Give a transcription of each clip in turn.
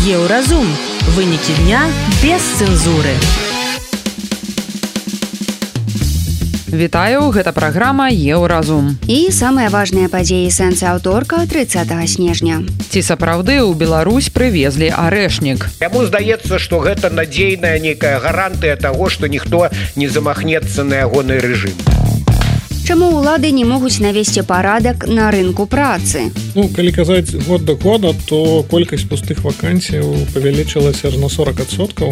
Еўразум. Вынікі дня без цэнзуры. Вітаю, гэта праграма Еўразум. І самыя важныя падзеі сэнсы аўторка 30 снежня. Ці сапраўды ў Беларусь прывезлі арэшнік? Яму здаецца, што гэта надзейная нейкая гарантыя таго, што ніхто не замахнецца на ягоны рэжым. Чаму ўлады не могуць навесці парадак на рынку працы? Калі казаць год да года, то колькасць пустых вакансій павялічылася на 40%.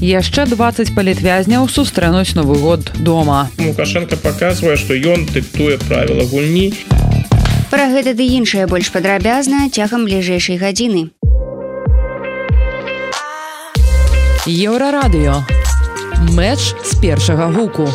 Яшчэ 20 палітвязняў сустрэнуць Новы год дома. Лукашенко паказвае, што ён дыктуе правіла гульні. Пра гэта ды іншае больш падрабязна цягам бліжэйшай гадзіны. Еўрарадыё. Мэч з першага гуку.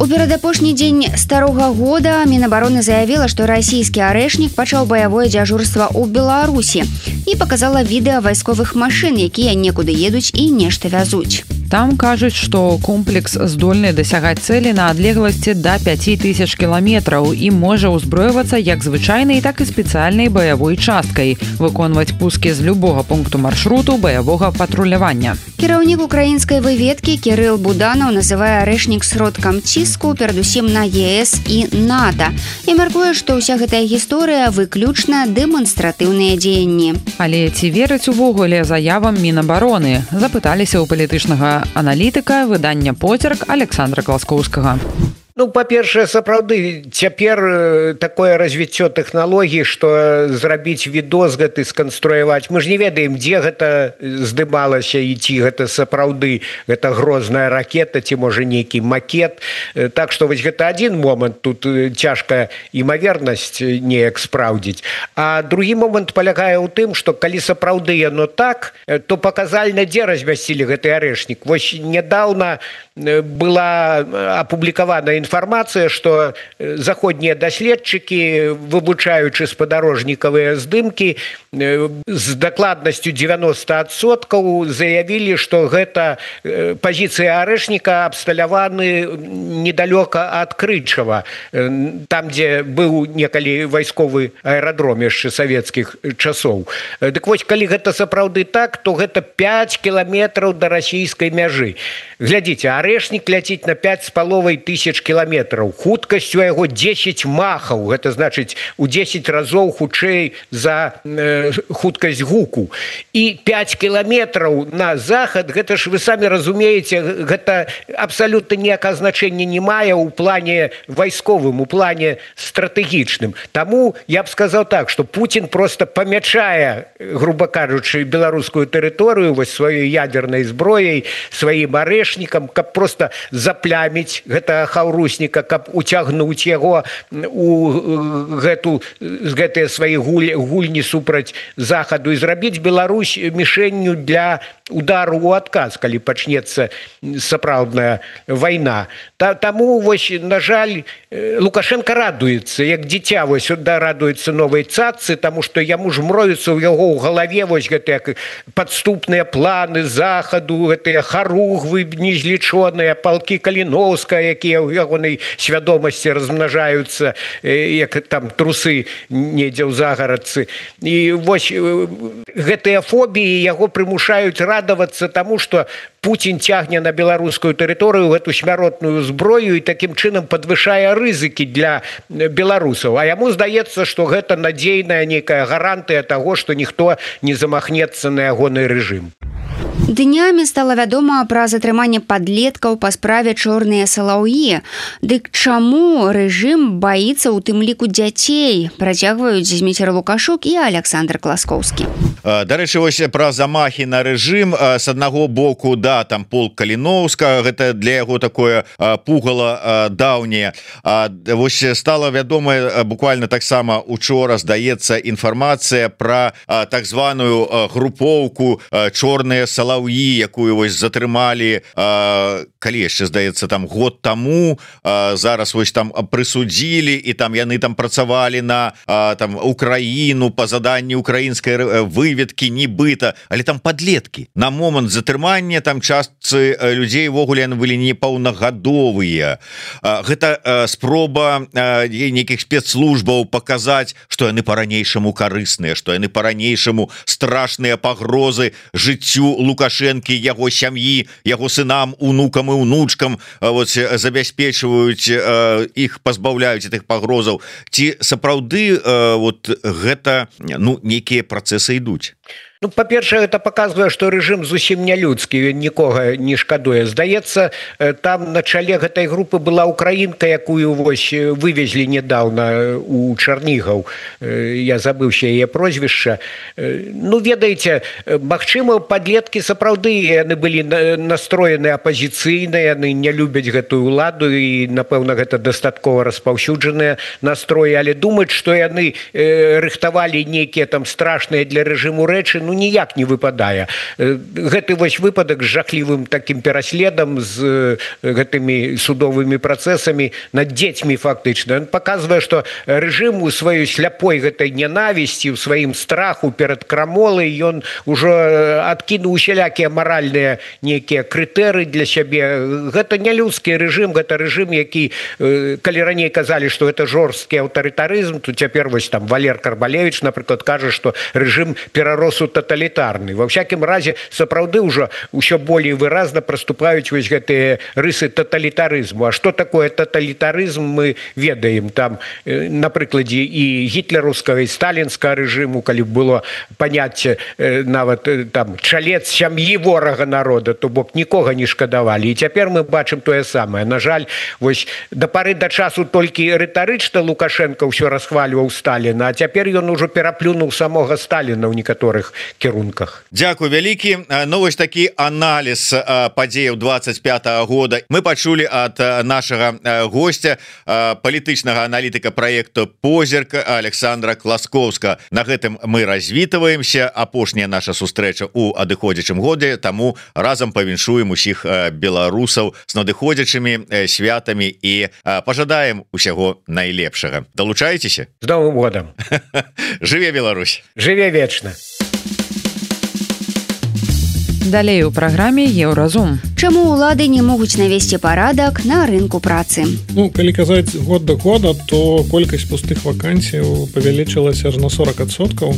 У перадапошні дзень старога года Мінабароны заявіла, што расійскі арэшнік пачаў баявое дзяжурства ў Беларусі і паказала відэа вайсковых машын, якія некуды едуць і нешта вязуць. Там кажуць, што комплекс здольны дасягаць цэлі на адлегласці да 5000 кіламетраў і можа ўзброівацца як звычайнай, так і спецыяльнай баявой часткай, выконваць пускі з любога пункту маршруту баявога патрулявання. Кіраўнік украінскай выведкі Кірыл Буданаў называе арэшнік сродкам ціску перадусім на ЕС і НАТО і мяркуе, што ўся гэтая гісторыя выключна дэманстратыўныя дзеянні. Але ці вераць увогуле заявам Мінабароны? Запыталіся ў палітычнага аналітыка выдання «Поцерк» Александра Класкоўскага. Па-першае, сапраўды, цяпер такое развіццё тэхналогій, што зрабіць відос гэты, сканструяваць. Мы ж не ведаем, дзе гэта здымалася і ці гэта сапраўды гэта грозная ракета, ці можа нейкі макет. Так што вось гэта адзін момант, тут цяжка імавернасць неяк спраўдзіць. А другі момант палягае ў тым, што калі сапраўды яно так, то паказальна, дзе размясцілі гэты арэшнік. Вось нядаўна была апублікавана інфармацыя, што заходнія даследчыкі, вывучаючы спадарожнікавыя здымкі, з дакладнасцю 90% заявілі, што гэта пазіцыя арэшніка абсталяваны недалёка ад Крычава, там, дзе быў некалі вайсковы аэрадром яшчэ савецкіх часоў. Дык вось, калі гэта сапраўды так, то гэта 5 кіламетраў да расійскай мяжы. Глядзіце, арэшнік ляціць на 5500 кіламетраў. Хуткасць у яго 10 махаў. Гэта значыць, у 10 разоў хутчэй за хуткасць гуку. І 5 кіламетраў на захад, гэта ж вы самі разумееце, гэта абсалютна ніякага значэння не мае ў плане вайсковым, у плане стратэгічным. Таму я б сказаў так, што Пуцін проста памячае, груба кажучы, беларускую тэрыторыю вось сваёй ядернай зброяй, сваім арэшнікам, каб проста запляміць гэтага хаўрусніка, каб уцягнуць яго у гэтыя свае гульні супраць захаду і зрабіць Беларусь мішэнню для удару ў адказ, калі пачнецца сапраўдная вайна. Таму, вось, на жаль, Лукашенко радуецца, як дзіця, вось, радуецца новай цаццы, таму што яму ж мроюцца ў яго ў галаве вось гэтыя падступныя планы захаду, гэтыя харугвы незлічоныя, палкі Каліноўская, якія ў ягонай свядомасці размнажаюцца, як там трусы недзе ў загарадцы. І вось гэтыя фобіі яго прымушаюць радавацца таму, што Пуцін цягне на беларускую тэрыторыю гэту смяротную зброю і такім чынам падвышае рызыкі для беларусаў. А яму здаецца, што гэта надзейная нейкая гарантыя таго, што ніхто не замахнецца на ягоны рэжым. Днямі стала вядома пра затрыманне падлеткаў па справе «Чорныя салаўі». Дык чаму рэжым баіцца ў тым ліку дзяцей? Працягваюць Зміцер Лукашук і Александр Класкоўскі. Дарэчы, вось пра замахі на рэжым. З аднаго боку, да, там полк Каліноўска, гэта для яго такое пугала даўняе. Вось стала вядома буквально таксама учора, здаецца, інфармацыя пра так званую групоўку «Чорныя салаўі», Салаўі, якую вось затрымалі калі яшчэ здаецца там год таму, зараз вось там прысудзілі і там яны там працавалі на там Украіну па заданні украінскай выведкі нібыта, але там падлеткі. На момант затрымання там частцы людзей ввогуле яны былі непаўнагадовыя. Гэта спроба нейкіх спецслужбаў паказаць, што яны па-ранейшаму карысныя, што яны па-ранейшаму страшныя пагрозы жыццю Лукашэнкі, яго сям'і, яго сынам, унукам і унучкам забяспечваюць іх, пазбаўляюць гэтых пагрозаў. Ці сапраўды вот гэта нейкія працэсы ідуць? Ну, па-першае, гэта паказвае, што рэжым зусім не людскі, ён нікога не шкадуе. Здаецца, там на чале гэтай групы была украінка, якую вось вывезлі нядаўна у Чарнігаў. Я забыўся яе прозвішча. Ну, ведаеце, магчыма, падлеткі сапраўды яны былі настроены апазіцыйна, яны не любяць гэтую ўладу і, напэўна, гэта дастаткова распаўсюджаныя настроі, але думаць, што яны рыхтавалі нейкія там страшныя для рэжыму рэчы, ніяк не выпадае. Гэты вось выпадак з жахлівым такім пераследам, з гэтымі судовымі працэсамі над дзецьмі фактычна. Ён паказвае, што рэжым у сваёй сляпой гэтай нянавісці, у сваім страху перад крамолай, ён ужо адкінуў усялякія маральныя нейкія крытэрыі для сябе. Гэта не людскі рэжым, гэта рэжым, які, калі раней казалі, што гэта жорсткі аўтарытарызм, то цяпер вось там Валер Карбалевіч, напрыклад, кажа, што рэжым перарос у тоталітарны. Ва всякім разе, сапраўды ўжо ўсё болей выразна праступаюць вось гэтыя рысы тоталітарызму. А што такое тоталітарызм, мы ведаем. Там, на прыкладзе і гітлераўскага, і сталінскага рэжыму, калі было паняцце нават там чалец сям'і ворага народа, то бок нікога не шкадавалі. І цяпер мы бачым тое самае. На жаль, вось да пары да часу толькі рытарычна Лукашенко ўсё расхвальваў Сталіна, а цяпер ён ужо пераплюнуў самога Сталіна ў некаторых кірунках. Дзякуй вялікі. Ну вось такі аналіз падзеяў 25-го года мы пачулі ад нашага гостя, палітычнага аналітыка праекту «Позірк» Александра Класкоўска. На гэтым мы развітваемся. Апошняя наша сустрэча ў адыходзячым годзе, таму разам павіншуем усіх беларусаў з надыходзячымі святамі і пажадаем усяго найлепшага. Далучайцеся. З Новым годам. Жыве Беларусь. Жыве вечна. Далей у праграме «Еўразум». Чаму ўлады не могуць навесці парадак на рынку працы? Ну, калі казаць год да года, то колькасць пустых вакансій павялічылася аж на 40%.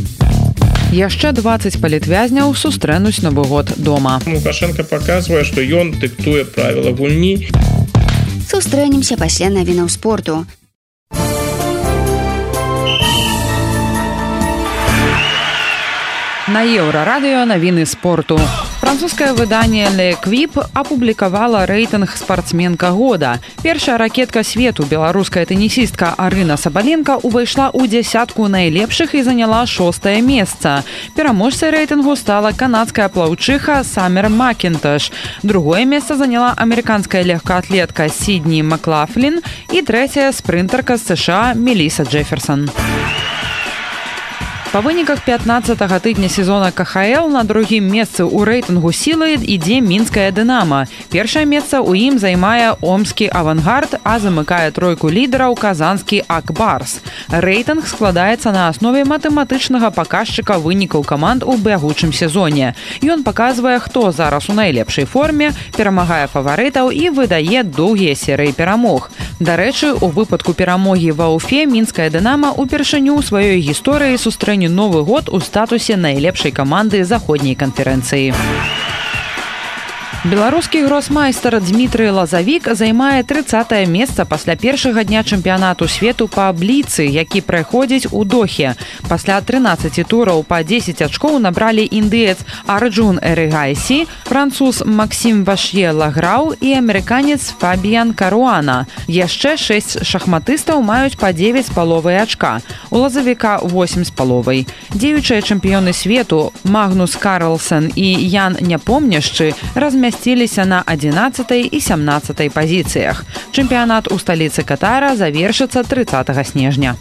Яшчэ 20 палітвязняў сустрэнуць Новы год дома. Лукашенко паказвае, што ён дыктуе правіла гульні. Сустрэнемся пасля навінаў спорту. На Еўрарадыё навіны спорту. Французскае выданне «L'Equipe» апублікавала рэйтынг спартсменка года. Першая ракетка свету, беларуская тэнісістка Арына Сабаленка, увайшла ў дзясятку найлепшых і заняла 6-е месца. Пераможцай рэйтынгу стала канадская плаўчыха Самер Макінташ. Другое месца заняла амерыканская легкаатлетка Сідні Маклафлін і трэцяя спрынтарка з США Меліса Джеферсон. Па выніках 15-го тыдня сезона КХЛ на другім месцы ў рэйтынгу сілы ідзе мінская «Дынама». Першае месца ў ім займае омскі «Авангард», а замыкае тройку лідараў казанскі «Акбарс». Рэйтынг складаецца на аснове матэматычнага паказчыка вынікаў каманд у бягучым сезоне. Ён паказвае, хто зараз у найлепшай форме, перамагае фаварытаў і выдае доўгія серыі перамог. Дарэчы, у выпадку перамогі ва Уфе мінская «Дынама» упершыню ў сваёй гісторыі сустрэне Новы год у статусе найлепшай каманды заходняй канферэнцыі. Беларускі гросмайстар Дмітрый Лазавік займае 30-е месца пасля першага дня чэмпіянату свету па бліцы, які праходзіць у Дохе. Пасля 13 тураў па 10 ачкоў набралі індыец Арджун Эрыгайсі, француз Максім Вашье Лаграу і амерыканец Фабіян Каруана. Яшчэ 6 шахматыстаў маюць па 9,5 ачка. У Лазавіка 8,5. Дзеючыя чэмпіёны свету Магнус Карлсен і Ян Няпомняшчы размясціліся на 11 і 17 пазіцыях. Чэмпіянат у сталіцы Катара завершыцца 30 снежня.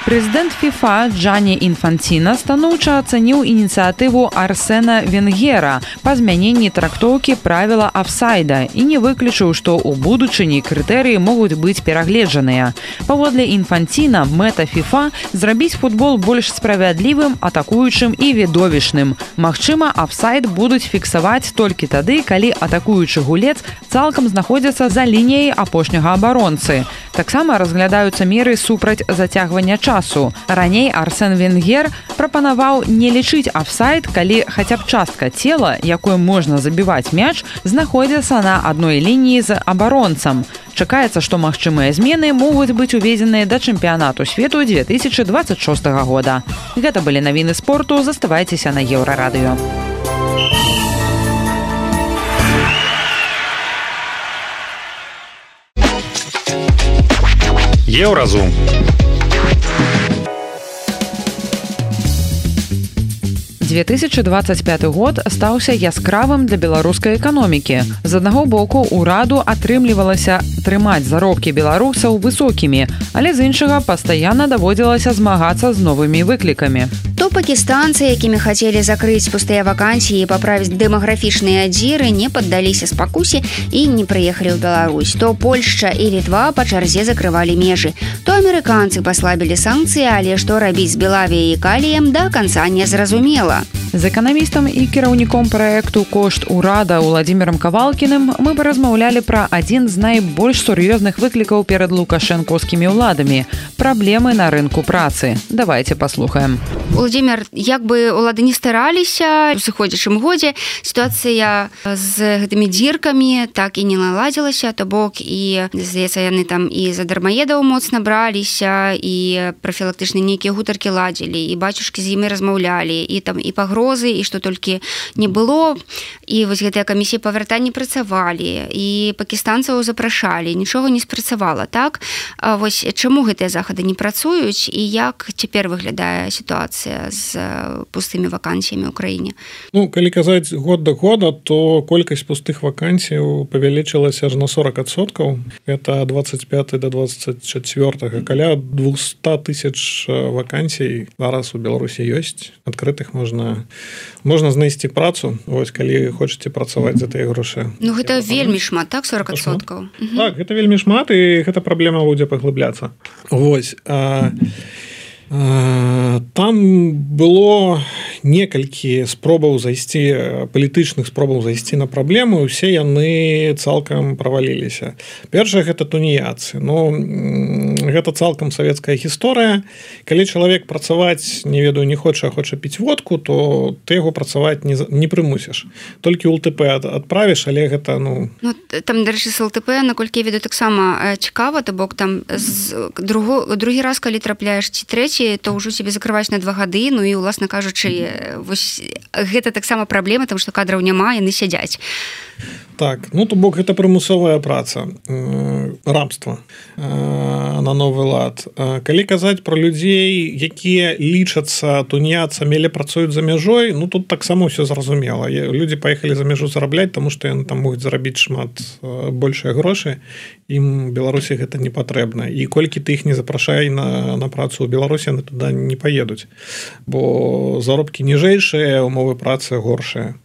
Прэзідэнт ФІФА Джанні Інфанціна станоўча ацаніў ініцыятыву Арсена Венгера па змяненні трактоўкі правіла афсайда і не выключыў, што ў будучыні крытэрыі могуць быць перагледжаныя. Паводле Інфанціна мэта ФІФА зрабіць футбол больш справядлівым, атакуючым і відовішчным. Магчыма, афсайд будуць фіксаваць толькі тады, калі атакуючы гулец цалкам знаходзіцца за лініяй апошняга абаронцы. Таксама разглядаюцца меры супраць зацягвання часу. Раней Арсен Венгер прапанаваў не лічыць афсайд, калі хаця б частка цела, якой можна забіваць мяч, знаходзіцца на адной лініі з абаронцам. Чакаецца, што магчымыя змены могуць быць уведзеныя да чэмпіянату свету 2026 года. Гэта былі навіны спорту, заставайцеся на Еўрарадыё. Еўразум. – 2025 год стаўся яскравым для беларускай эканомікі. З аднаго боку, ураду атрымлівалася трымаць заробкі беларусаў высокімі, але з іншага пастаянна даводзілася змагацца з новымі выклікамі. То пакістанцы, якімі хацелі закрыць пустыя вакансіі і паправіць дэмаграфічныя дзіры, не паддаліся спакусе і не прыехалі ў Беларусь. То Польшча і Літва па чарзе закрывалі межы. То амерыканцы паслабілі санкцыі, але што рабіць з Белавіяй і Каліем, да канца не зразумела. З эканамістам і кіраўніком праекту «Кошт урада» Уладзімірам Кавалкіным мы паразмаўлялі пра адзін з найбольш сур'ёзных выклікаў перад лукашэнкаўскімі ўладамі – праблемы на рынку працы. Давайте паслухаем. Владимир, як бы улады не стараліся, у сыходзячым годзе сітуацыя з гэтымі дзіркамі так і не наладзілася, то бок і, здаецца, яны там і за дармаедаў моцна браліся, і прафілактычныя нейкія гутаркі ладзілі, і бацюшкі з імі размаўлялі, і там і пагрозы, і што толькі не было, і вось гэтыя камісіі па вяртанні працавалі, і пакістанцаў запрашалі, нічога не спрацавала, так? А вось чаму гэтыя захады не працуюць, і як цяпер выглядае сітуацыя з пустымі вакансіямі ў краіне? Ну, калі казаць год да года, то колькасць пустых вакансій павялічылася аж на 40%. Это 25 до 24, каля 200 тысяч вакансій зараз у Беларусі ёсць. Адкрытых можна знайсці працу, вось, калі хочаце працаваць за тыя грошы. Ну, гэта вельмі шмат, так, 40%? Так, гэта вельмі шмат, і гэта праблема будзе паглыбляцца. Вось. Там было некалькі спробаў зайсці, палітычных спробаў зайсці на праблему, і ўсе яны цалкам праваліліся. Першае, гэта туніяцы. Ну, гэта цалкам савецкая гісторыя. Калі чалавек працаваць, не ведаю, не хоча, а хоча піць водку, то ты яго працаваць не прымусіш. Толькі ЛТП адправіш, але гэта, ну... Ну, там, дарэчы, з ЛТП, наколькі я ведаю, таксама цікава, то бок там другі раз, калі трапляеш ці трэці, то ўжо себе закрываюць на 2 гады, ну і, уласна кажучы, вось гэта таксама праблема, тому што кадраў няма, яны сядзяць. Так, ну то бок гэта прымусовая праца, рабства на новы лад. Калі казаць пра людзей, якія лічацца туніяцамі, але працуюць за мяжой, ну тут таксама ўсё зразумела. Людзі паехалі за мяжу зарабляць, таму што яны там могуць зарабіць шмат большыя грошы, ім Беларусі гэта не патрэбна. І колькі ты іх не запрашай на працу ў Беларусі, яны туды не паедуць, бо заробкі ніжэйшыя, умовы працы горшыя.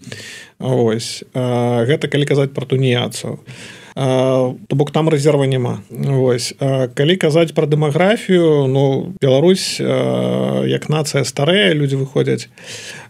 Ось. Гэта калі казаць пра туніяцаў. То бок там рэзерва няма. Ось. Калі казаць пра дэмаграфію, ну, Беларусь як нацыя старая, людзі выходзяць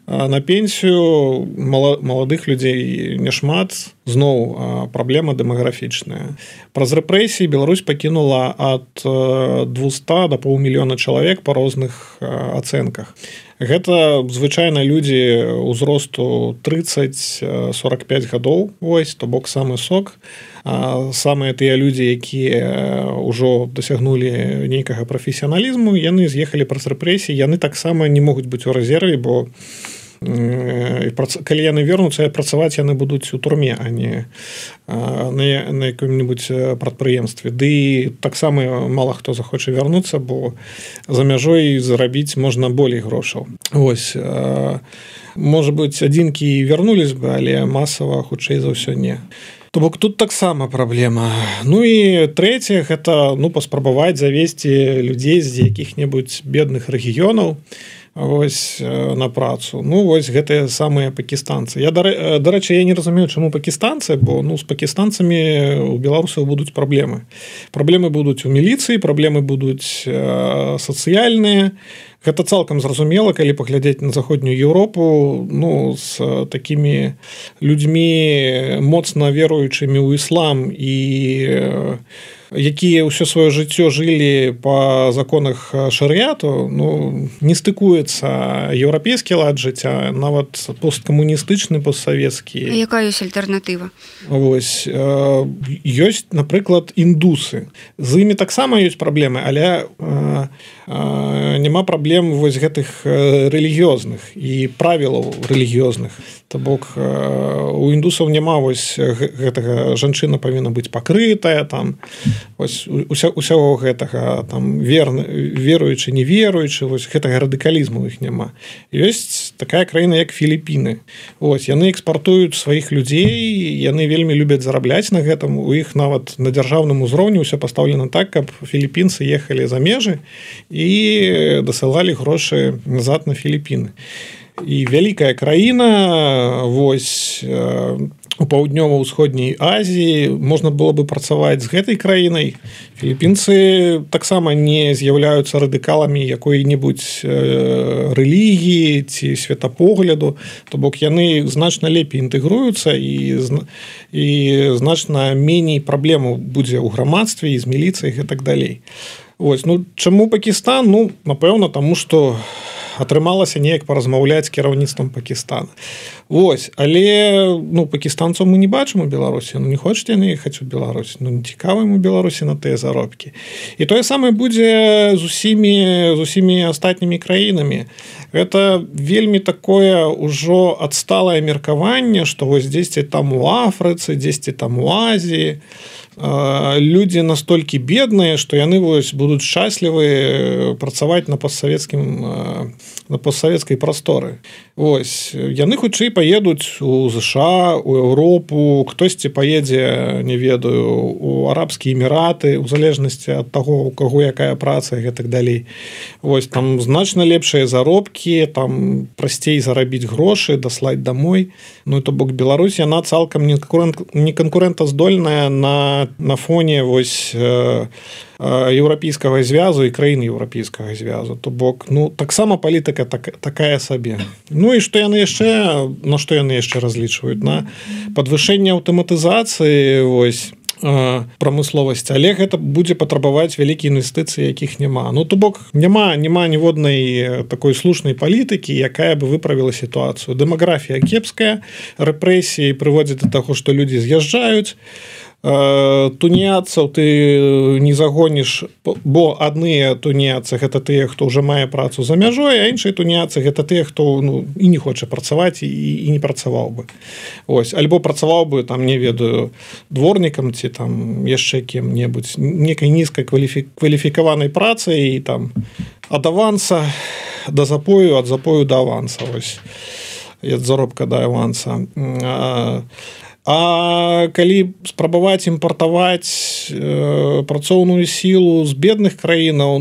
на пенсію, маладых людзей няшмат, зноў праблема дэмаграфічная. Праз рэпрэсіі Беларусь пакінула ад 200 до паўмільёна чалавек па розных ацэнках. Гэта звычайна людзі ўзросту 30-45 гадоў, вось, то бок самы сок. Самыя тыя людзі, якія ўжо дасягнулі нейкага прафесіяналізму, яны з'ехалі праз рэпрэсіі, яны таксама не могуць быць у рэзерве, бо калі яны вернуцца, працаваць яны будуць у турме, а не на якім-небудзь прадпрыемстве. Ды таксама мала хто захоча вярнуцца, бо за мяжой зарабіць можна болей грошаў. Вось. Можа быць, адзінкі вярнулись бы, але масава хутчэй за ўсё не. То бок тут таксама праблема. Ну і трэцяе гэта паспрабаваць завесці людзей з якіх-небудзь бедных рэгіёнаў вось на працу. Вось гэтыя самыя пакістанцы. Дарэчы, я не разумею, чаму пакістанцы, бо з пакістанцамі у беларусаў будуць праблемы. Праблемы будуць у міліцыі, праблемы будуць сацыяльныя. Гэта цалкам зразумела, калі паглядзець на заходнюю Еўропу, з такімі людзьмі моцна веруючымі ў іслам і якія ўсё сваё жыццё жылі па законах шарыяту, не стыкуецца еўрапейскі лад жыцця, нават посткамуністычны, постсавецкі. Якая ёсць альтэрнатыва? Вось ёсць, напрыклад, індусы. З імі таксама ёсць праблемы, але няма праблем вось гэтых рэлігіёзных і правілаў рэлігіёзных. То бок у індусаў няма вось гэтага, жанчына павінна быць пакрытая, там вось усяго гэтага, там веруючы, не веруючы, вось гэтага радыкалізму іх няма. Ёсць такая краіна, як Філіпіны. Вось яны экспартуюць сваіх людзей, яны вельмі любяць зарабляць на гэтым, у іх нават на дзяржаўным узроўні ўсё пастаўлена так, каб філіпінцы ехалі за межы і дасылалі грошы назад на Філіпіны. І вялікая краіна, вось у паўднёва-ўсходняй Азіі можна было бы працаваць з гэтай краінай. Філіпінцы таксама не з'яўляюцца радыкаламі якой-небудзь рэлігіі ці светапогляду, то бок яны значна лепей інтэгруюцца і значна меней праблемаў будзе ў грамадстве і з міліцыяй і так далей. Вось, чаму Пакістан? Напэўна, таму што атрымалася неяк паразмаўляць з кіраўніцтвам Пакістана. Вось, але пакістанцаў мы не бачым у Беларусі, не хочуць яны ехаць у Беларусь, не цікава ім у Беларусі на тыя заробкі. І тое самае будзе з усімі астатнімі краінамі. Гэта вельмі такое ўжо адсталае меркаванне, што вось дзесьці там у Афрыцы, дзесьці там у Азіі людзі настолькі бедныя, што яны вось будуць шчаслівы працаваць на постсавецкай прасторы. Вось яны хутчэй паедуць у ЗША, у Еўропу, хтосьці паедзе, не ведаю, у Арабскія Эміраты, у залежнасці ад таго, у каго якая праца і гэтак далей. Вось там значна лепшыя заробкі, там прасцей зарабіць грошы, даслаць дамой. То бок Беларусь, яна цалкам не канкурэнтаздольная на фоне вось еўрапейскага звязу і краін еўрапейскага звязу. То бок, таксама палітыка такая сабе. І што яны яшчэ, на што яны яшчэ разлічваюць? На падвышэнне аўтаматызацыі вось прамысловасці, але гэта будзе патрабаваць вялікія інвестыцыі, якіх няма. То бок няма ніводнай такой слушнай палітыкі, якая бы выправіла сітуацыю. Дэмаграфія кепская, рэпрэсіі прыводзяць да таго, што людзі з'язджаюць. Туніяцаў ты не загоніш, бо адныя туніяцы гэта тыя, хто ўжо мае працу за мяжой, а іншыя туніяцы гэта тыя, хто і не хоча працаваць і не працаваў бы. Ось, альбо працаваў бы, там, не ведаю, дворнікам ці там яшчэ кем-небудзь, некай нізкай кваліфікаванай працай і там ад аванса да запою, ад запою да аванса, ось, ад заробка да аванса. А калі спрабаваць імпартаваць працоўную сілу з бедных краінаў,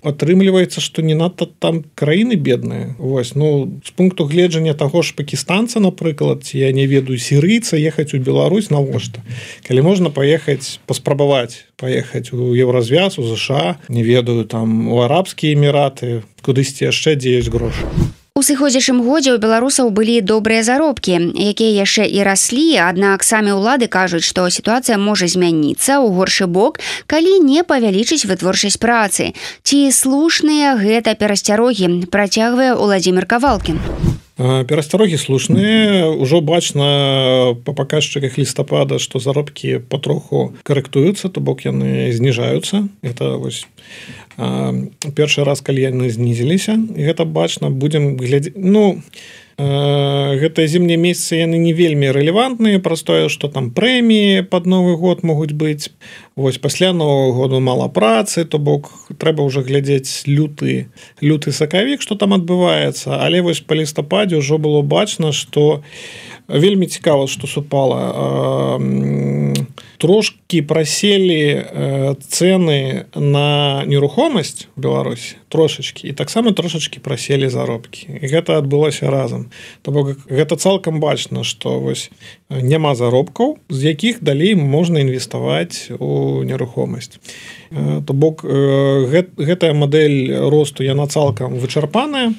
атрымліваецца, што не надта там краіны бедныя. Вось, з пункту гледжання таго ж пакістанца, напрыклад, ці я не ведаю, сірыйца ехаць у Беларусь навошта? Калі можна паспрабаваць паехаць у Еўразвяз, у ЗША, не ведаю, там у Арабскія Эміраты, кудысьці яшчэ, дзе ёсць грошы. У сыходзячым годзе ў беларусаў былі добрыя заробкі, якія яшчэ і раслі, аднак самі ўлады кажуць, што сітуацыя можа змяніцца ў горшы бок, калі не павялічыць вытворчасць працы. Ці слушныя гэта перасцярогі, працягвае Уладзімір Кавалкін. Перасцярогі слушныя, ужо бачна па паказчыках лістапада, што заробкі патроху карэктуюцца, то бок яны зніжаюцца. Это вось першы раз калі яны знізіліся і гэта бачна будзем глядзець гэтыя зімнія месяцы яны не вельмі рэлевантныя праз тое што там прэміі пад Новы год могуць быць вось пасля Нового году мала працы то бок трэба ўжо глядзець люты сакавік што там адбываецца але вось па лістападзе ўжо было бачна што вельмі цікава што супала трошкі праселі цэны на нерухомасць у Беларусі трошачкі і таксама трошачкі праселі заробкі і гэта адбылося разам то бок гэта цалкам бачна што вось няма заробкаў з якіх далей можна інвеставаць у нерухомасць то бок гэтая мадэль росту яна цалкам вычарпаная.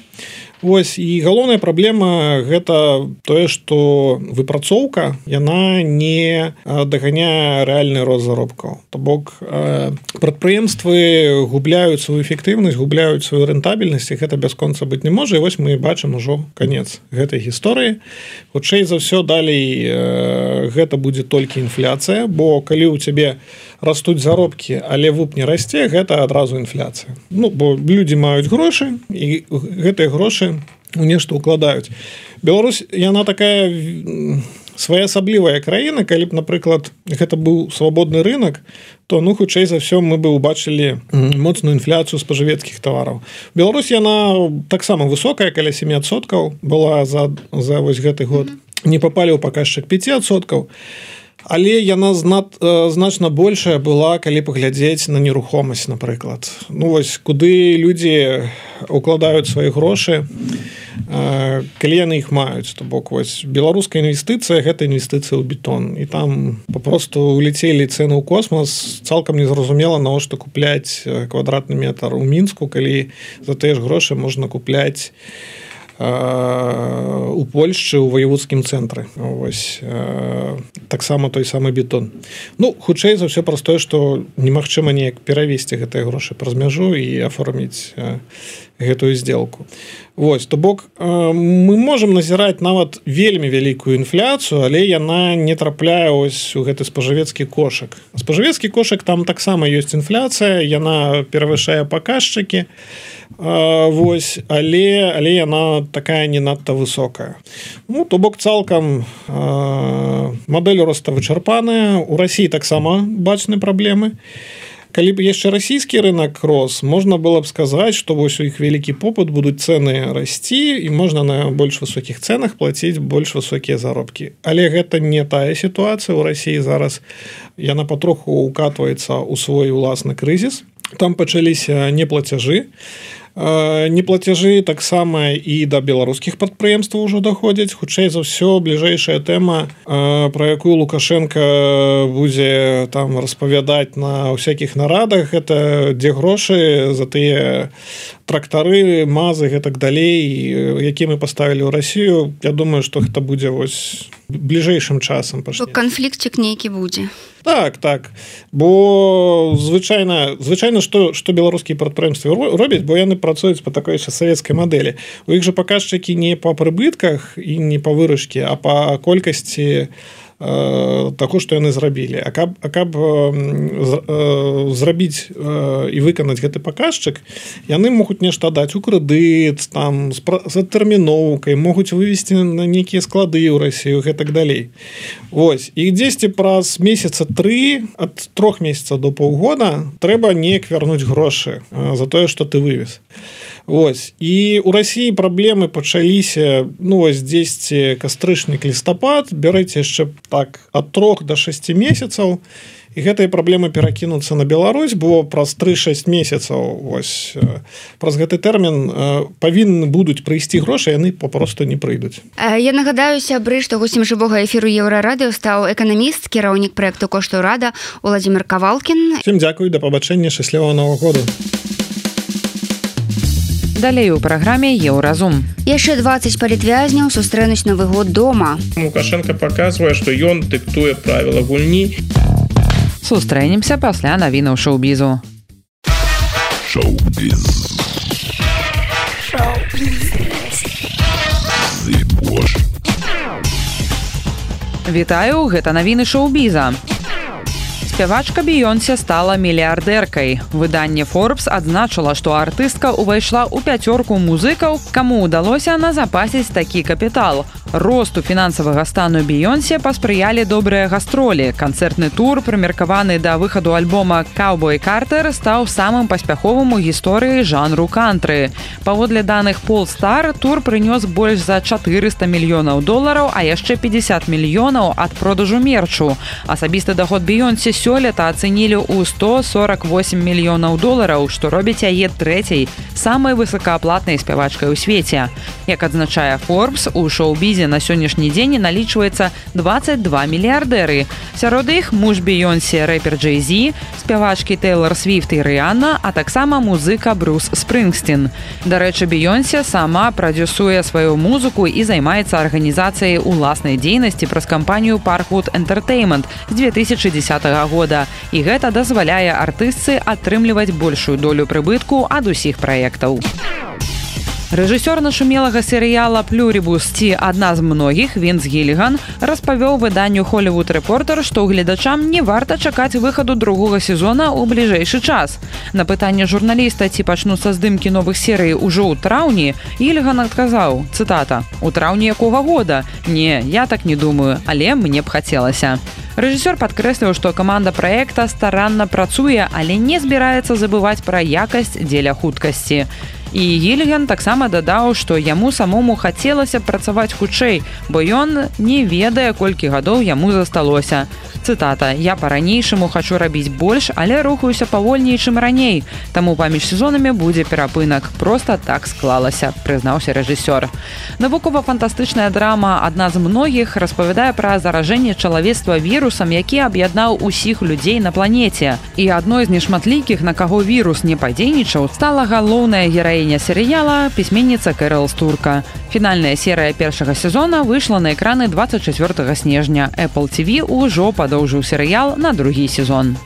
Вось і галоўная праблема гэта тое што выпрацоўка яна не даганяе рэальны рост заробкаў то бок прадпрыемствы губляюць сваю эфектыўнасць губляюць сваю рэнтабельнасць і гэта бясконца быць не можа і вось мы бачым ужо канец гэтай гісторыі хутчэй за ўсё далей гэта будзе толькі інфляцыя бо калі ў цябе растуць заробкі але вуп не расце гэта адразу інфляцыя бо людзі маюць грошы і гэтыя грошы у нешта укладаюць. Беларусь яна такая своеасаблівая краіна калі б напрыклад гэта быў свабодны рынок то хутчэй за ўсё мы бы убачылі моцную інфляцыю спажывецкіх тавараў. Беларусь яна таксама высокая каля 7% была за вось гэты год не папалі ў паказчык 5%. Але яна значна большая была, калі паглядзець на нерухомасць, напрыклад. Вось куды людзі укладаюць свае грошы, калі яны іх маюць. То бок вось беларуская інвестыцыя гэта інвестыцыя ў бетон. І там папросту уляцелі цэны ў космас, цалкам незразумела, навошта купляць квадратны метр у Мінску, калі за тыя ж грошы можна купляць у Польшчы ў ваяводскім цэнтры таксама той самы бетон. Хутчэй за ўсё праз тое, што немагчыма неяк перавесці гэтыя грошы праз мяжу і аформіць гэтую сделку. Вось, то бок мы можам назіраць нават вельмі вялікую інфляцыю, але яна не трапляе ось у гэты спажывецкі кошык. Спажывецкі кошык там таксама ёсць інфляцыя, яна перавышае паказчыкі. Вось, але яна такая не надта высокая. То бок цалкам мадэль роста вычарпаная. У Расіі таксама бачны праблемы. Калі б яшчэ расійскі рынок рос, можна было б сказаць, што вось у іх вялікі попыт, будуць цэны расці і можна на больш высокіх цэнах плаціць больш высокія заробкі. Але гэта не тая сітуацыя. У Расіі зараз яна патроху укатваецца ў свой уласны крызіс. Там пачаліся неплацяжы. Неплацяжы таксама і да беларускіх прадпрыемстваў ўжо даходзяць. Хутчэй за ўсё бліжэйшая тэма, пра якую Лукашенко будзе там распавядаць на ўсякіх нарадах, гэта дзе грошы за тыя трактары, мазы, гэтак далей, які мы паставілі ў Расію. Я думаю, што гэта будзе вось бліжэйшым часам. Канфліктчык нейкі будзе. Так. Бо звычайна што беларускія прадпрыемствы робяць, бо яны працуюць па такой савецкай мадэлі. У іх жа паказчыкі не па прыбытках і не па выручкі, а па колькасці таго, што яны зрабілі. А каб зрабіць і выканаць гэты паказчык, яны могуць нешта даць у крэдыт, там, з адтэрміноўкай, могуць вывесці на нейкія склады ў Расію, гэтак далей. Вось. І дзесьці праз месяца 3, ад 3 месяцаў до паўгода трэба неяк вярнуць грошы за тое, што ты вывез. Вось. І ў Расіі праблемы пачаліся, вось дзесьці кастрычнік, лістапад, бярыце яшчэ так ад 3 до 6 месяцаў, і гэтыя праблемы перакінуцца на Беларусь, бо праз 3-6 месяцаў вось праз гэты тэрмін павінны будуць прыйсці грошы, яны папросту не прыйдуць. Я нагадаю, сябры, што госцем жывога эфіру Еўрарадыё стаў эканаміст, кіраўнік праекту «Кошты ўрада» Уладзімир Кавалкін. Всім дзякуй, да пабачэння, шчаслівага Новага году. Далей у праграме «Еўразум». Яшчэ 20 палітвязняў сустрэнуць Новы год дома. Лукашенко паказвае, што ён дыктуе правіла гульні. Сустрэнемся пасля навінаў шоу-бізу. Шоу-біз. Вітаю, гэта навіны шоу-біза. спявачка Бейонсе стала мільярдэркай. Выданне Forbes адзначыла, што артыстка ўвайшла ў 5 музыкаў, каму ўдалося назапасіць такі капітал. Росту фінансавага стану Бейонсе паспрыялі добрыя гастролі. Канцэртны тур, прымеркаваны да выхаду альбома «Cowboy Carter», стаў самым паспяховым у гісторыі жанру кантры. Паводле даных Polestar, тур прынёс больш за $400 мільёнаў, а яшчэ 50 мільёнаў ад продажу мерчу. Асабісты даход Бейонсе сёлета ацэнілі ў $148 мільёнаў, што робіць яе трэцяй самай высокааплатнай спявачкай у свеце. Як адзначае Forbes, у шоу-бізе на сённяшні дзень налічваецца 22 мільярдэры. Сярод іх муж Бейонсе, рэпер Джей-Зі, спявачкі Тейлор Свіфт і Рыанна, а таксама музыка Брюс Спрынгстін. Дарэчы, Бейонсе сама прадзюсуе сваю музыку і займаецца арганізацыяй уласнай дзейнасці праз кампанію Parkwood Entertainment з 2010 года. І гэта дазваляе артыстцы атрымліваць большую долю прыбытку ад усіх праектаў. Рэжысёр нашумелага серыяла «Плюрібус» ці «Адна з многіх» Вінс Гіліган распавёў выданню «Холлівуд Рэпортер», што гледачам не варта чакаць выхаду другога сезона ў бліжэйшы час. На пытанне журналіста, ці пачнуцца здымкі новых серый ужо ў траўні, Гіліган адказаў, цытата: «У траўні якога года? Не, я так не думаю, але мне б хацелася». Рэжысёр падкрэсліў, што каманда праекта старанна працуе, але не збіраецца забываць пра якасць дзеля хуткасці. І Гіліган таксама дадаў, што яму самому хацелася працаваць хутчэй, бо ён не ведае, колькі гадоў яму засталося. Цытата: «Я па-ранейшаму хачу рабіць больш, але рухаюся павольней, чым раней. Таму паміж сезонамі будзе перапынак. Проста так склалася», прызнаўся рэжысёр. Навукова-фантастычная драма «Адна з многіх» распавядае пра заражэнне чалавецтва вірусам, які аб'яднаў усіх людзей на планеце. І адной з нешматлікіх, на каго вірус не падзейнічаў, стала галоўная гераіня серыяла, пісьменніца Кэрол Стурка. Фінальная серыя першага сезона выйшла на экраны 24 снежня. Apple TV ўжо падоўжыў серыял на другі сезон.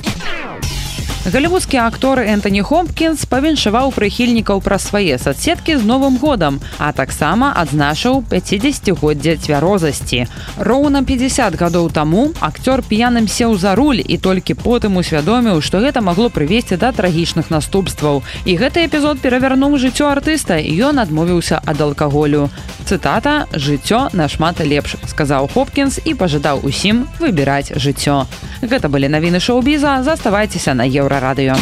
Галівудскі актор Энтані Хопкінс павіншаваў прыхільнікаў праз свае соцсеткі з Новым годам, а таксама адзначыў 50-годдзе цвярозасці. Роўна 50 гадоў таму акцёр п'яным сеў за руль і толькі потым усвядоміў, што гэта магло прывесці да трагічных наступстваў. І гэты эпізод перавярнуў жыццё артыста, і ён адмовіўся ад алкаголю. Цытата: «Жыццё нашмат лепш», сказаў Хопкінс і пажадаў усім выбіраць жыццё. Гэта былі навіны шоу-біза. Заставайцеся на Еўрарадыё.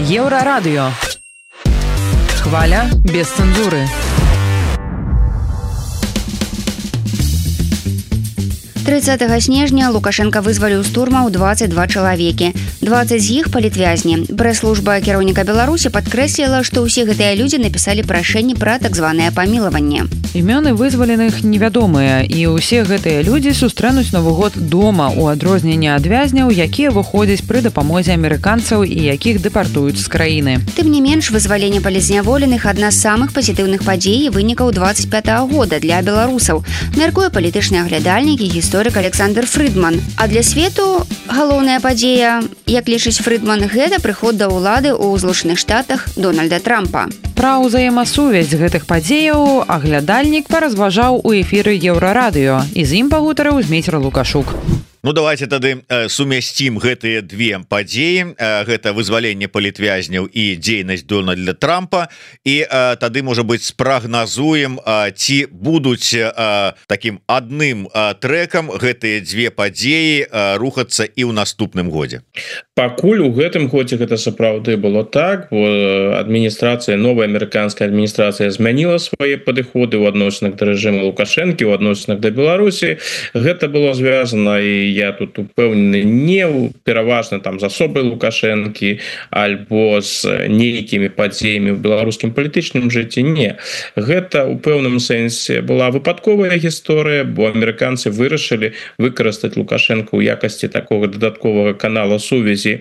Еўрарадыё. Хваля без цэнзуры. 30 снежня Лукашенко вызваліў з турмаў 22 чалавекі. 20 з іх палітвязні. Прэс-служба кіраўніка Беларусі падкрэсліла, што ўсе гэтыя людзі напісалі прашэнні пра так званае памілаванне. Імёны вызваленых невядомыя, і ўсе гэтыя людзі сустрэнуць Новы год дома, у адрозненне ад вязняў, якія выходзяць пры дапамозе амерыканцаў і якіх дэпартуюць з краіны. Тым не менш, вызваленне палізняволеных адна з самых пазітыўных падзей і вынікаў 25-го года для беларусаў, мяркуе палітычны аглядальнік і гісторык Александр Фрыдман. А для свету галоўная падзея, як лічыць Фрыдман, гэта прыход да ўлады ў Злучаных Штатах Дональда Трампа. Пра ўзаемасувязь гэтых падзеяў аглядальнік паразважаў у эфіры Еўрарадыё, і з ім пагутарыў Змейцер Лукашук. Ну давайте тады сумясцім гэтыя две падзеі, гэта вызваленне палітвязняў і дзейнасць Дональда Трампа, і тады, можа быць, спрагназуем, ці будуць такім адным трэкам гэтыя две падзеі рухацца і ў наступным годзе. Пакуль у гэтым годзе гэта сапраўды было так, бо адміністрацыя, новая амерыканская адміністрацыя змяніла свае падыходы ў адносінах да рэжыму Лукашэнкі, у адносінах да Беларусі. Гэта было звязана, і я тут упэўнены, не пераважна там з асобай Лукашэнкі альбо з нейкімі падзеямі ў беларускім палітычным жыцці. Не. Гэта у пэўным сэнсе была выпадковая гісторыя, бо амерыканцы вырашылі выкарыстаць Лукашэнка ў якасці такога дадатковага канала сувязі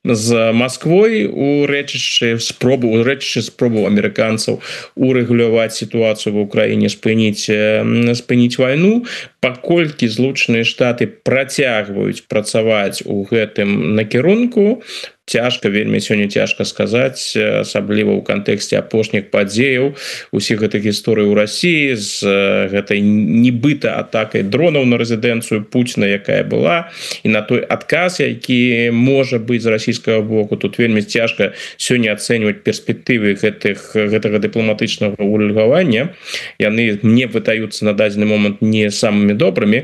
з Масквой, урэчышчы спробу амерыканцаў урэгуляваць сітуацыю ва ўкраіне, спыніць вайну. Паколькі Злучаныя Штаты працягваюць працаваць у гэтым накірунку, цяжка вельмі сёння цяжка сказаць, асабліва ў кантэксце апошніх падзеяў усіх гэтых гісторый у Расіі з гэтай нібыта атакай дронаў на рэзідэнцыю Пуціна, якая была, і на той адказ, які можа быць з расійскага боку. Тут вельмі цяжка сёння ацэньваць перспектывы гэтага дыпламатычнага ўрэгулявання. Яны мне вытаюцца на дадзены момант не самымі добрымі,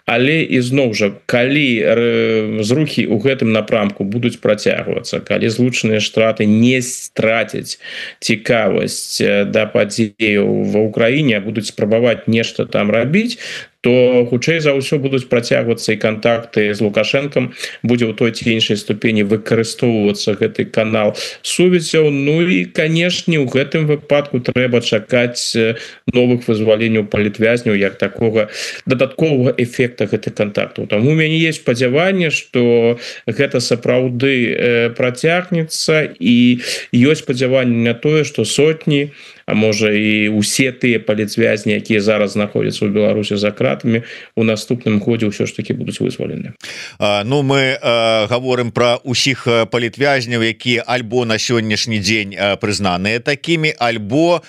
але ізноў жа, калі зрухі ў гэтым напрамку будуць працягвацца, калі злучаныя штраты не страцяць цікавасць да падзеяў ва ўкраіне, будуць спрабаваць нешта там рабіць, то хутчэй за ўсё будуць працягвацца і кантакты з Лукашэнкам, будзе ў той ці іншай ступені выкарыстоўвацца гэты канал сувязяў. Ну і, канешне, у гэтым выпадку трэба чакаць новых вызваленняў палітвязняў як такога дадатковага эфекта гэтых кантактаў. Таму у мяне есть спадзяванне, што гэта сапраўды працягнецца, і ёсць спадзяванне на тое, што сотні, а можа і ўсе тыя палітвязні, якія зараз знаходзяцца ў Беларусі за кратамі, у наступным годзе ўсё ж такі будуць вызвалены. Ну, мы гаворым пра ўсіх палітвязняў, якія альбо на сённяшні дзень прызнаныя такімі, альбо,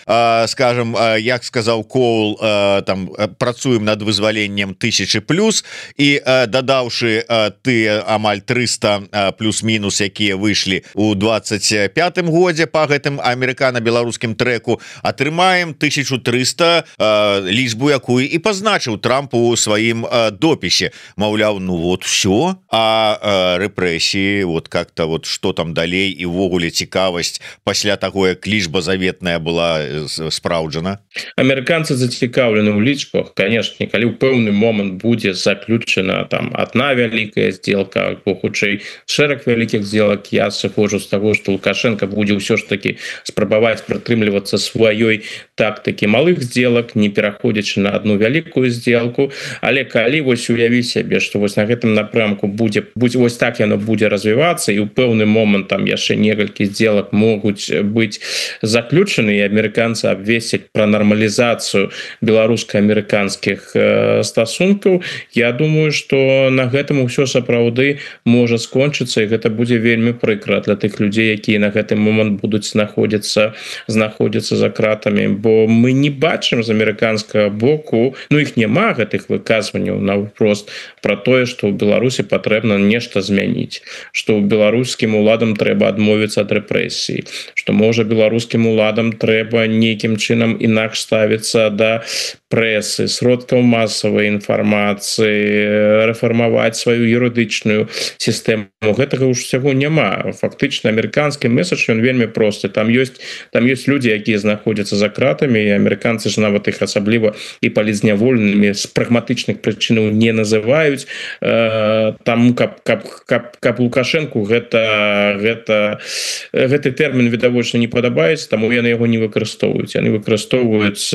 скажем, як сказаў Коул, там працуем над вызваленнем 1000+, і дадаўшы тыя амаль 300 плюс-мінус, якія выйшлі ў 25 годзе па гэтым амерыкана-беларускім трэку, атрымаем 1300, лічбу якую і пазначыў Трамп у сваім допісе. Маўляў, ну вот все, а рэпрэсіі, вот как-то вот что там далей, і ўвогуле цікавасць пасля таго, як лічба заветная была спраўджана. Амерыканцы зацікаўлены ў лічбах, конечно, калі ў пэўны момант будзе заключена там одна вялікая сделка, або хутчэй шэраг вялікіх сделак, я сыходжу з таго, што Лукашенко будзе ўсё ж таки спрабаваць прытрымлівацца сваёй тактыкі малых сделак, не пераходзячы на одну вялікую сделку. Але калі вось уявіць сябе, што вось на гэтым напрамку будзе вось так яно будзе развівацца, і ў пэўны момант там яшчэ некалькі сделак могуць быць заключаны, і амерыканцы абвесцяць пра нармалізацыю беларуска-амерыканскіх стасункаў, я думаю, што на гэтым усё сапраўды можа скончыцца, і гэта будзе вельмі прыкра для тых людзей, якія на гэты момант будуць знаходзіцца за кратамі, бо мы не бачым з амерыканскага боку, ну іх няма гэтых выказванняў наўпрост пра тое, што ў Беларусі патрэбна нешта змяніць, што ў беларускім уладам трэба адмовіцца ад рэпрэсій, што можа беларускім уладам трэба нейкім чынам інакш ставіцца да прэсы, сродкаў масавай інфармацыі, рэфармаваць сваю юрыдычную сістэму. Гэтага ўсяго няма. Фактычна амерыканскі месадж ён вельмі просты. Там ёсць людзі, якія знаходзяцца за кратамі, і амерыканцы ж нават іх асабліва і палітзняволенымі з прагматычных прычынаў не называюць. Таму каб Лукашэнку гэты тэрмін відавочна не падабаецца, таму яны яго не выкарыстоўваюць. Яны выкарыстоўваюць,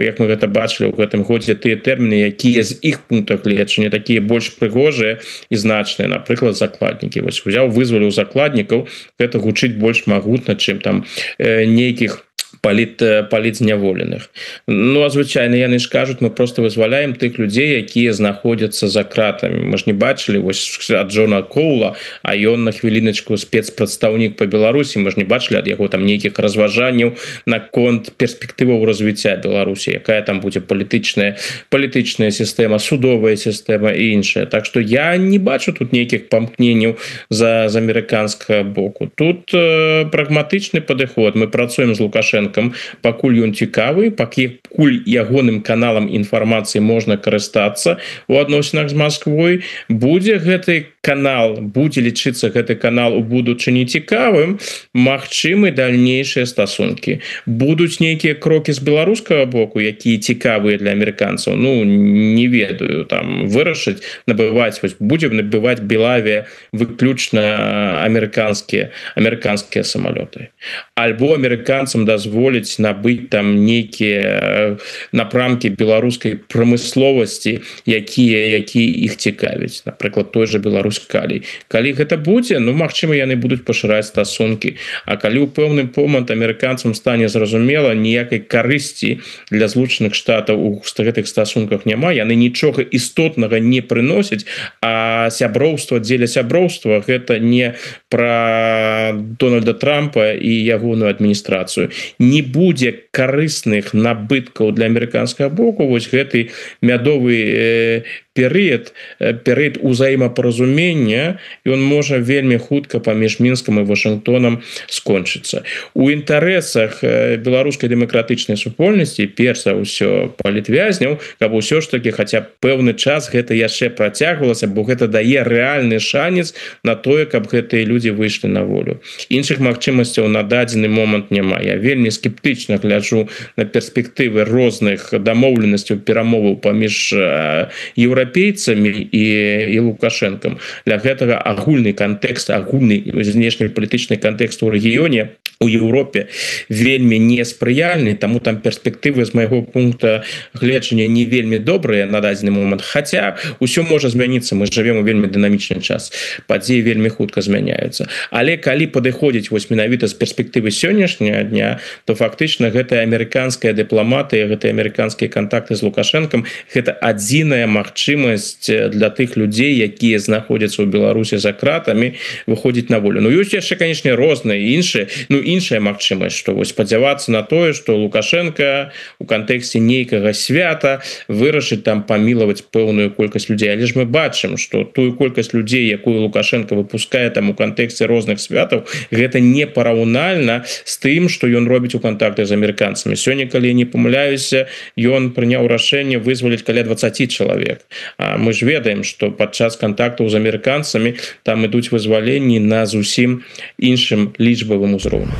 як мы гэта бачылі ў гэтым годзе, тыя тэрміны, якія з іх пунктах гледжання такія больш прыгожыя і значныя. Напрыклад, закладнікі. Вось узяў, вызваліў закладнікаў, гэта гучыць больш магутна, чым там нейкіх палітзняволеных. Ну, а звычайна яны ж кажуць, мы просто вызваляем тых людзей, якія знаходзяцца за кратамі. Мы ж не бачылі вось ад Джона Коула, а ён на хвіліначку спецпрадстаўнік па Беларусі, мы ж не бачылі ад яго там нейкіх разважанняў наконт перспектываў развіцця Беларусі, якая там будзе палітычная сістэма, судовая сістэма і іншая. Так што я не бачу тут нейкіх памкненняў з амерыканскага боку. Тут прагматычны падыход. Мы працуем з Лукашенко, пакуль ён цікавы, пакуль ягоным каналам інфармацыі можна карыстацца у адносінах з Масквой, будзе лічыцца гэты канал у будучыні цікавым, магчымы дальнейшыя стасункі. Будуць нейкія крокі з беларускага боку, якія цікавыя для амерыканцаў, ну, не ведаю, там, вырашыць, будзем набываць Белавія выключна амерыканскія самалёты. Альбо амерыканцам дазволіць дазволіць набыць там нейкія напрамкі беларускай прамысловасці, якія іх цікавяць, напрыклад, той же Беларусь-Калій. Калі гэта будзе, ну магчыма, яны будуць пашыраць стасункі, а калі ў пэўны момант амерыканцам стане зразумела, ніякай карысці для Злучаных Штатаў у гэтых стасунках няма, яны нічога істотнага не прыносяць, а сяброўства дзеля сяброўства гэта не пра Дональда Трампа і ягоную адміністрацыю. Не будзе карысных набыткаў для амерыканскага боку, вось гэты мядовы перыяд узаемапаразумення, ён можа вельмі хутка паміж Мінскам і Вашынгтонам скончыцца. У інтарэсах беларускай дэмакратычнай супольнасці, перш за ўсё палітвязняў, каб усё ж такі хаця б пэўны час гэта яшчэ працягвалася, бо гэта дае рэальны шанец на тое, каб гэтыя людзі выйшлі на волю. Іншых магчымасцяў на дадзены момант няма. Я вельмі скептычна гляджу на перспектывы розных дамоўленасцяў, перамоваў паміж еўрапейцамі і Лукашэнкам. Для гэтага агульны кантэкст, агульны знешнепалітычны кантэкст у рэгіёне, у Еўропе вельмі неспрыяльны, таму там перспектывы з майго пункта гледжання не вельмі добрыя на дадзены момант. Хаця ўсё можа змяніцца, мы жывем у вельмі дынамічны час. Падзеі вельмі хутка змяняюцца. Але калі падыходзіць вось менавіта з перспектывы сённяшняга дня, то фактычна гэтая амерыканская дыпламатыя, гэтыя амерыканскія кантакты з Лукашэнкам, гэта адзіная магчымасць для тых людзей, якія знаходзяцца ў Беларусі за кратамі, выходзіць на волю. Ну ёсць яшчэ, канечне, розныя іншая магчымасць, што вось спадзявацца на тое, што Лукашенко у кантэксце нейкага свята вырашыць там памілаваць пэўную колькасць людзей. Але ж мы бачым, што тую колькасць людзей, якую Лукашенко выпускае там у кантэксце розных святаў, гэта не параўнальна з тым, што ён робіць у кантактах з амерыканцамі. Сёння, калі я не памыляюся, ён прыняў рашэнне вызваліць каля 20 чалавек. А мы ж ведаем, што падчас кантактаў з амерыканцамі там ідуць вызваленні на зусім іншым лічбавым узроўні.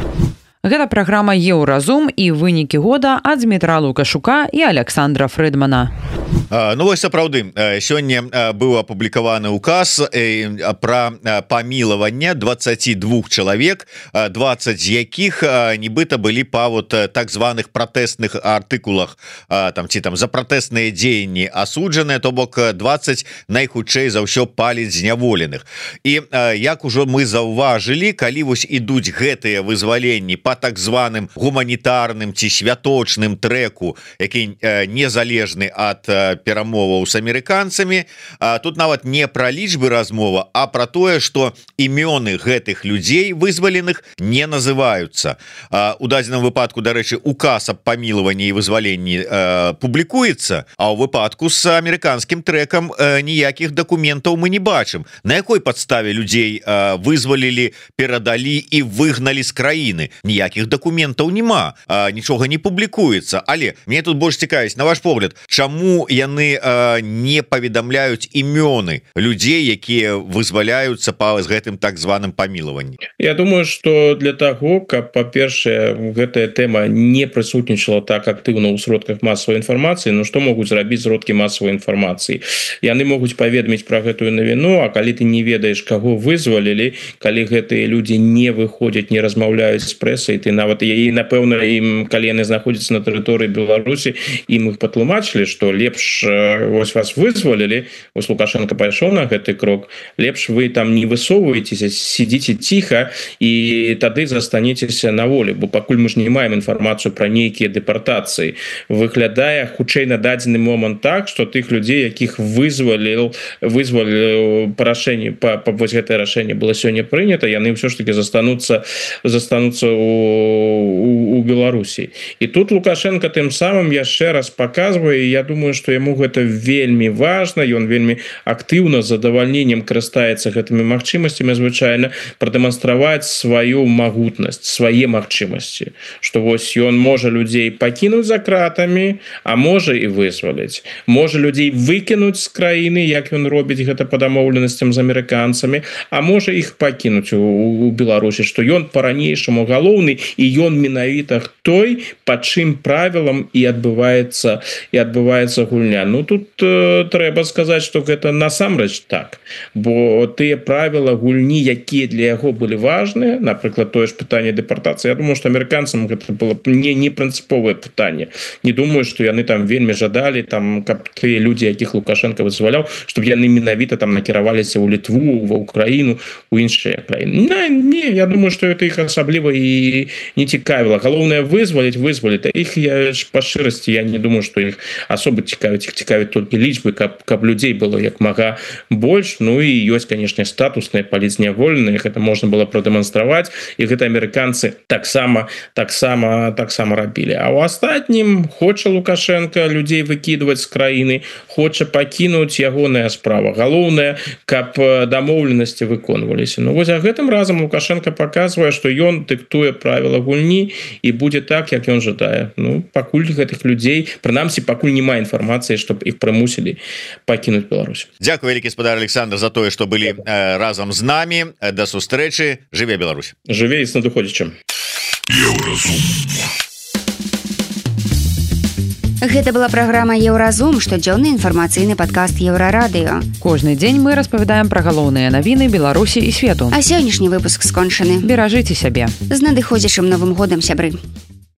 Гэта праграма «Еўразум» і вынікі года ад Дмітра Лукашука і Александра Фрыдмана. Ну вось сапраўды, сёння быў апублікаваны указ пра памілаванне 22 чалавек, 20 з якіх нібыта былі па вот так званых пратэсных артыкулах, там ці там за пратэсныя дзеянні асуджаныя, то бок 20 найхутчэй за ўсё паліць зняволеных. І як ужо мы заўважылі, калі вось ідуць гэтыя вызваленні па так званым гуманітарным ці святочным трэку, які незалежны ад перамоваў з амерыканцамі, тут нават не пра лічбы размова, а пра тое, што імёны гэтых людзей вызваленых не называюцца. У дадзеным выпадку, дарэчы, указ аб памілаванні і вызваленні публікуецца, а ў выпадку з амерыканскім трэкам ніякіх дакументаў мы не бачым. На якой падставе людзей вызвалілі, перадалі і выгналі з краіны? Ніякіх дакументаў няма, нічога не публікуецца. Але мне тут больш цікавіць, на ваш погляд, чаму яны не паведамляюць імёны людзей, якія вызваляюцца па гэтым так званым памілаванні? Я думаю, што для таго, каб, па-першае, гэтая тэма не прысутнічала так актыўна ў сродках масавай інфармацыі, ну што могуць зрабіць сродкі масавай інфармацыі? Яны могуць паведаміць пра гэтую навіну, а калі ты не ведаеш, каго вызвалілі, калі гэтыя людзі не выходзяць, не размаўляюць з прэсай, ты нават і, напэўна, ім, калі яны знаходзяцца на тэрыторыі Беларусі, ім іх патлумачылі, што лепш вось вас вызвалілі, вось Лукашенко пайшоў на гэты крок, лепш вы там не высоўваецеся, сидзіце ціха і тады застанецеся на волі, бо пакуль мы ж не маем інфармацыю пра нейкія дэпартацыі. Выглядае хутчэй на дадзены момант так, што тых людзей, якіх вызваліў рашэнне, вось гэтае рашэнне было сёння прынята, яны ўсё ж таки застануцца у Беларусі. І тут Лукашенко тым самым яшчэ раз паказвае, я думаю, што яму гэта вельмі важна, ён вельмі актыўна з задавальненнем карыстаецца гэтымі магчымасцямі звычайна прадэманстраваць сваю магутнасць, свае магчымасці, што вось ён можа людзей пакінуць за кратамі, а можа і вызваліць. Можа людзей выкінуць з краіны, як ён робіць гэта па дамоўленасцям з амерыканцамі, а можа іх пакінуць у Беларусі, што ён па-ранейшаму галоўны і ён менавіта той, па чым правілам і адбываецца гульня. Ну тут трэба сказаць, што гэта насамрэч так, бо тыя правілы гульні, якія для яго былі важныя, напрыклад, тое ж пытанне дэпартацыі, я думаю, што амерыканцам гэта было не прынцыповае пытанне. Не думаю, што яны там вельмі жадалі, там, каб тыя людзі, якіх Лукашенко вызваляў, чтобы яны менавіта там накіраваліся ў Літву, ва Украіну, у іншыя краіны. Не, я думаю, што это іх асабліва і не цікавіла. Галоўнае вызваліць, іх па шчырасці, я не думаю, што іх асоба цікавіць, іх цікавіць толькі лічбы, каб людзей было як мага больш. Ну і ёсць, канешне, статусныя паліцнявольныя, гэта можна было прадэманстраваць, і гэта амерыканцы таксама рабілі. А ў астатнім хоча Лукашенко людзей выкідваць з краіны, хоча пакінуць ягоная справа. Галоўнае, каб дамоўленасці выконваліся. Ну вось, а гэтым разам Лукашенко паказвае, што ён дыктуе правіла гульні і будзе так, як ён жадае. Ну, пакуль гэтых людзей, прынамсі, пакуль няма інфармацыі, чтобы іх прымусілі пакінуць Беларусь. Дзякуй, вялікі спадар Александр, за тое, што былі разам з намі. Да сустрэчы. Жыве Беларусь. Жыве і з надыходзячым. Гэта была праграма Еўразум, штодзённы інфармацыйны падкаст Еўрарадыё. Кожны дзень мы распавядаем пра галоўныя навіны Беларусі і свету. А сённяшні выпуск скончаны. Беражыце сябе. З надыходзячым Новым годам, сябры.